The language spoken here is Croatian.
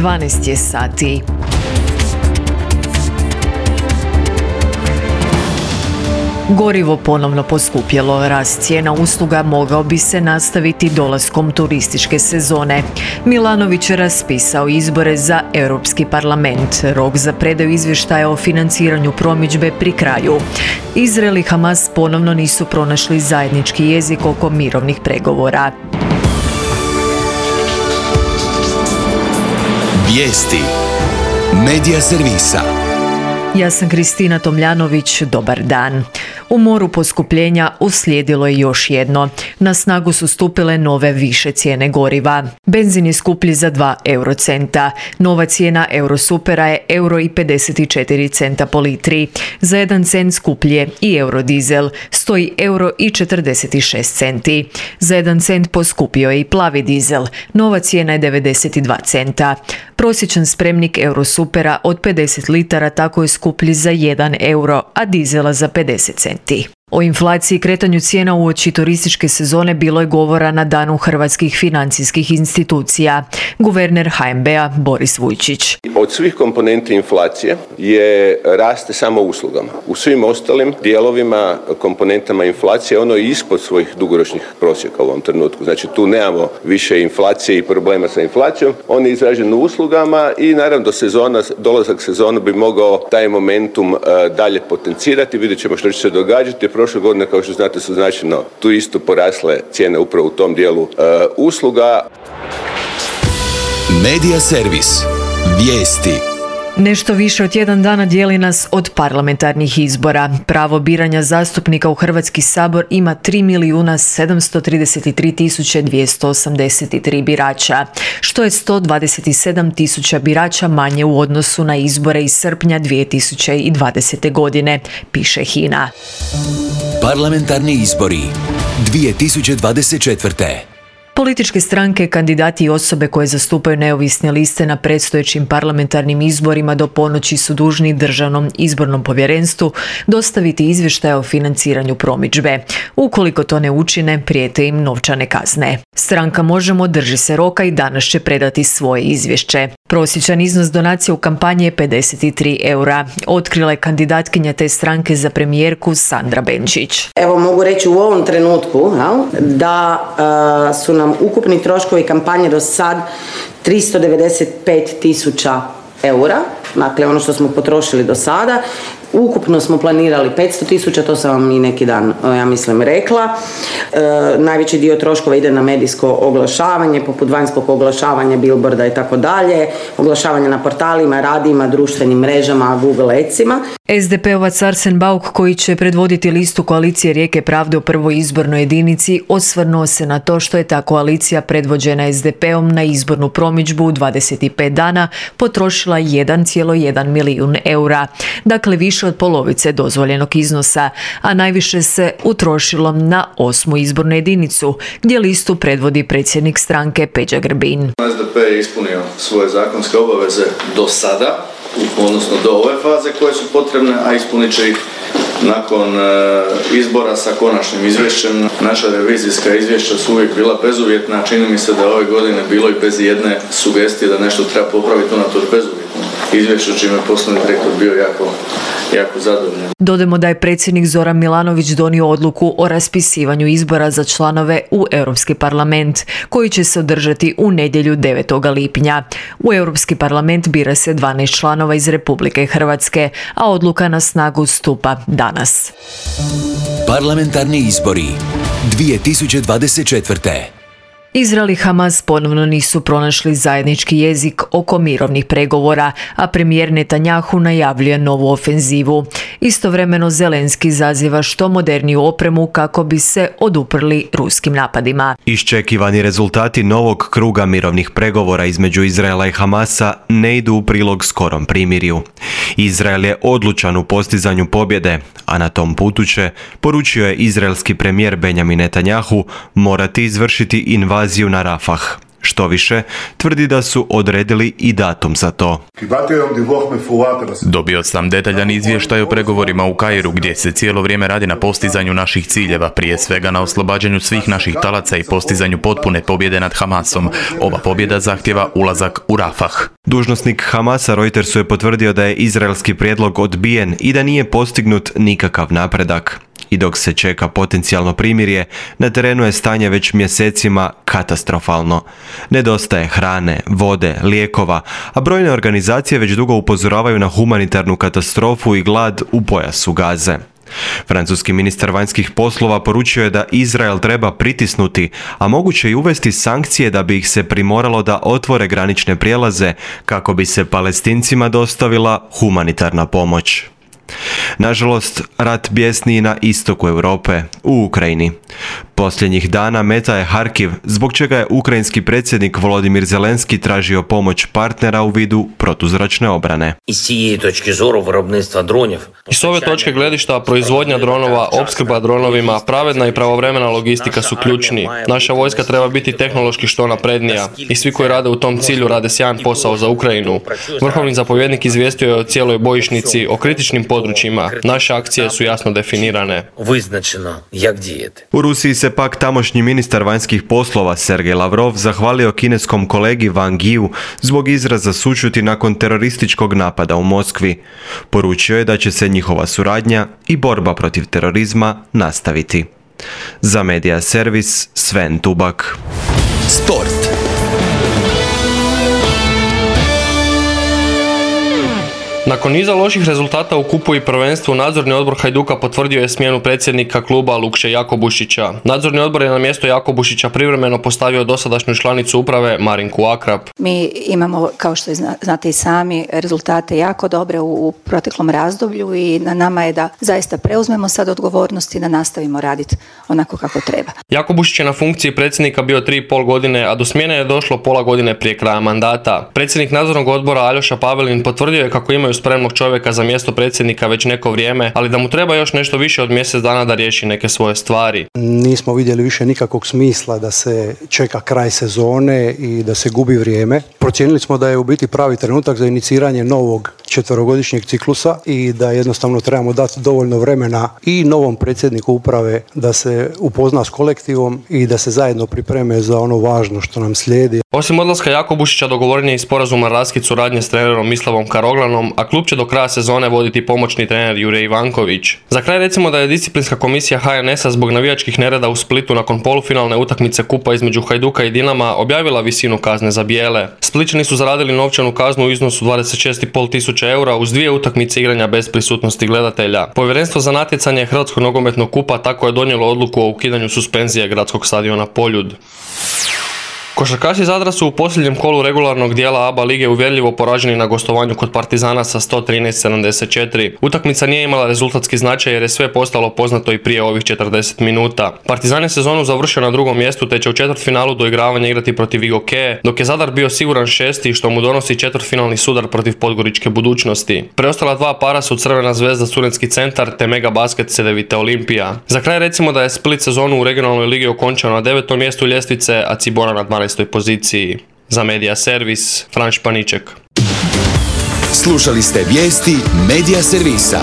12 je sati. Gorivo ponovno poskupjelo. Rast cijena usluga mogao bi se nastaviti dolaskom turističke sezone. Milanović je raspisao izbore za Europski parlament. Rok za predaju izvještaja o financiranju promidžbe pri kraju. Izrael i Hamas ponovno nisu pronašli zajednički jezik oko mirovnih pregovora. Vijesti Medija servisa. Ja sam Kristina Tomljanović, dobar dan. U moru poskupljenja uslijedilo je još jedno. Na snagu su stupile nove više cijene goriva. Benzin je skuplji za 2 eurocenta. Nova cijena Eurosupera je €1,54 po litri. Za 1 cent skuplji je i eurodizel, stoji €1,46. Za 1 cent poskupio je i plavi dizel. Nova cijena je 92 centa. Prosječan spremnik Eurosupera od 50 litara tako je skuplji za 1 euro, a dizela za 50 centi. O inflaciji i kretanju cijena uoči turističke sezone bilo je govora na Danu hrvatskih financijskih institucija. Guverner HNB-a Boris Vujčić. Od svih komponenti inflacije raste samo uslugama. U svim ostalim dijelovima, komponentama inflacije ono je ispod svojih dugoročnih prosjeka u ovom trenutku. Znači tu nemamo više inflacije i problema sa inflacijom. On je izražen u uslugama i naravno dolazak sezona bi mogao taj momentum dalje potencirati. Vidjet ćemo što će se događati. Prošle godine, kao što znate, su značajno tu isto porasle cijene upravo u tom dijelu usluga. Medija servis. Vijesti. Nešto više od tjedan dana dijeli nas od parlamentarnih izbora. Pravo biranja zastupnika u Hrvatski sabor ima 3.733.283 birača, što je 127.000 birača manje u odnosu na izbore iz srpnja 2020. godine, piše HINA. Parlamentarni izbori 2024. Političke stranke, kandidati i osobe koje zastupaju neovisne liste na predstojećim parlamentarnim izborima do ponoći su dužni Državnom izbornom povjerenstvu dostaviti izvještaje o financiranju promidžbe. Ukoliko to ne učine, prijete im novčane kazne. Stranka Možemo drži se roka i danas će predati svoje izvješće. Prosječan iznos donacije u kampanji je 53 eura. Otkrila je kandidatkinja te stranke za premijerku Sandra Benčić. Evo mogu reći u ovom trenutku da su nam ukupni troškovi kampanje do sad 395.000 eura, dakle ono što smo potrošili do sada. Ukupno smo planirali 500.000, to sam vam i neki dan, ja mislim, rekla. Najveći dio troškova ide na medijsko oglašavanje, poput vanjskog oglašavanja, billboarda i tako dalje, oglašavanje na portalima, radijima, društvenim mrežama, Google Adsima. SDP-ovac Arsen Bauk, koji će predvoditi listu koalicije Rijeke pravde u prvoj izbornoj jedinici, osvrnuo se na to što je ta koalicija predvođena SDP-om na izbornu promidžbu u 25 dana potrošila 1,1 milijun eura. Dakle, više od polovice dozvoljenog iznosa, a najviše se utrošilo na 8. izbornu jedinicu, gdje listu predvodi predsjednik stranke Peđa Grbin. SDP je ispunio svoje zakonske obaveze do sada, odnosno do ove faze koje su potrebne, a ispunit će ih nakon izbora sa konačnim izvješćem. Naša revizijska izvješća su uvijek bila bezuvjetna, čini mi se da ove godine bilo i bez jedne sugestije da nešto treba popraviti unatoč bezuvjetnom izvješću, čime je poslovni direktor bio jako zadovoljan. Dodajmo da je predsjednik Zoran Milanović donio odluku o raspisivanju izbora za članove u Europski parlament, koji će se održati u nedjelju 9. lipnja. U Europski parlament bira se 12 članova iz Republike Hrvatske, a odluka na snagu stupa danas. Parlamentarni izbori 2024. Izrael i Hamas ponovno nisu pronašli zajednički jezik oko mirovnih pregovora, a premijer Netanjahu najavljuje novu ofenzivu. Istovremeno Zelenski zaziva što moderniju opremu kako bi se oduprli ruskim napadima. Iščekivani rezultati novog kruga mirovnih pregovora između Izraela i Hamasa ne idu u prilog skorom primirju. Izrael je odlučan u postizanju pobjede, a na tom putu će, poručio je izraelski premijer Benjamin Netanjahu, morati izvršiti invaziju na Rafah. Što više, tvrdi da su odredili i datum za to. Dobio sam detaljan izvještaj o pregovorima u Kairu gdje se cijelo vrijeme radi na postizanju naših ciljeva, prije svega na oslobađanju svih naših talaca i postizanju potpune pobjede nad Hamasom. Ova pobjeda zahtjeva ulazak u Rafah. Dužnosnik Hamasa Reutersu je potvrdio da je izraelski prijedlog odbijen i da nije postignut nikakav napredak. I dok se čeka potencijalno primirje, na terenu je stanje već mjesecima katastrofalno. Nedostaje hrane, vode, lijekova, a brojne organizacije već dugo upozoravaju na humanitarnu katastrofu i glad u pojasu Gaze. Francuski ministar vanjskih poslova poručio je da Izrael treba pritisnuti, a moguće i uvesti sankcije da bi ih se primoralo da otvore granične prijelaze kako bi se Palestincima dostavila humanitarna pomoć. Nažalost, rat bjesni i na istoku Europe, u Ukrajini. Posljednjih dana meta je Harkiv, zbog čega je ukrajinski predsjednik Volodimir Zelenski tražio pomoć partnera u vidu protuzračne obrane. S ove točke gledišta proizvodnja dronova, opskrba dronovima, pravedna i pravovremena logistika su ključni. Naša vojska treba biti tehnološki što naprednija i svi koji rade u tom cilju rade sjajan posao za Ukrajinu. Vrhovni zapovjednik izvijestio je o cijeloj bojišnici, o kritičnim područjima. Naše akcije su jasno definirane. U Rusiji se pak tamošnji ministar vanjskih poslova Sergej Lavrov zahvalio kineskom kolegi Wang Yiu zbog izraza sućuti nakon terorističkog napada u Moskvi. Poručio je da će se njihova suradnja i borba protiv terorizma nastaviti. Za Media Servis, Sven Tubak. Sport. Nakon niza loših rezultata u kupu i prvenstvu, nadzorni odbor Hajduka potvrdio je smjenu predsjednika kluba Lukše Jakobušića. Nadzorni odbor je na mjesto Jakobušića privremeno postavio dosadašnju članicu uprave Marinku Akrap. Mi imamo, kao što znate i sami, rezultate jako dobre u proteklom razdoblju i na nama je da zaista preuzmemo sad odgovornost i da nastavimo raditi onako kako treba. Jakobušić je na funkciji predsjednika bio 3,5 godine, a do smjene je došlo pola godine prije kraja mandata. Predsjednik nadzornog odbora Aljoša Pavelin potvrdio je kako imaju spremnog čovjeka za mjesto predsjednika već neko vrijeme, ali da mu treba još nešto više od mjesec dana da riješi neke svoje stvari. Nismo vidjeli više nikakvog smisla da se čeka kraj sezone i da se gubi vrijeme. Procijenili smo da je u biti pravi trenutak za iniciranje novog 4-godišnjeg ciklusa i da jednostavno trebamo dati dovoljno vremena i novom predsjedniku uprave da se upozna s kolektivom i da se zajedno pripreme za ono važno što nam slijedi. Osim odlaska Jakobušića dogovoren je i sporazum o raskid suradnje s trenerom Mislavom Karoglanom, a klub će do kraja sezone voditi pomoćni trener Jure Ivanković. Za kraj recimo da je disciplinska komisija HNS-a zbog navijačkih nereda u Splitu nakon polufinalne utakmice kupa između Hajduka i Dinama objavila visinu kazne za bijele. Splićani su zaradili novčanu kaznu u iznosu 26,5 tisuća eura uz 2 utakmice igranja bez prisutnosti gledatelja. Povjerenstvo za natjecanje Hrvatskog nogometnog kupa tako je donijelo odluku o ukidanju suspenzije gradskog stadiona Poljud. Košarkaši Zadra su u posljednjem kolu regularnog dijela ABA lige uvjerljivo poraženi na gostovanju kod Partizana sa 113-74. Utakmica nije imala rezultatski značaj jer je sve postalo poznato i prije ovih 40 minuta. Partizan je sezonu završio na 2. mjestu te će u četvrtfinalu doigravanja igrati protiv Igoke, dok je Zadar bio siguran 6. što mu donosi četvrtfinalni sudar protiv podgoričke budućnosti. Preostala 2 para su Crvena zvezda Studentski centar te Mega Basket Cedevita Olimpija. Za kraj recimo da je Split sezonu u regionalnoj ligi okončao na 9. mjestu ljestvice, a Cibona na 12. poziciji. Za Media Servis, Franš Paniček. Slušali ste vijesti Media Servisa.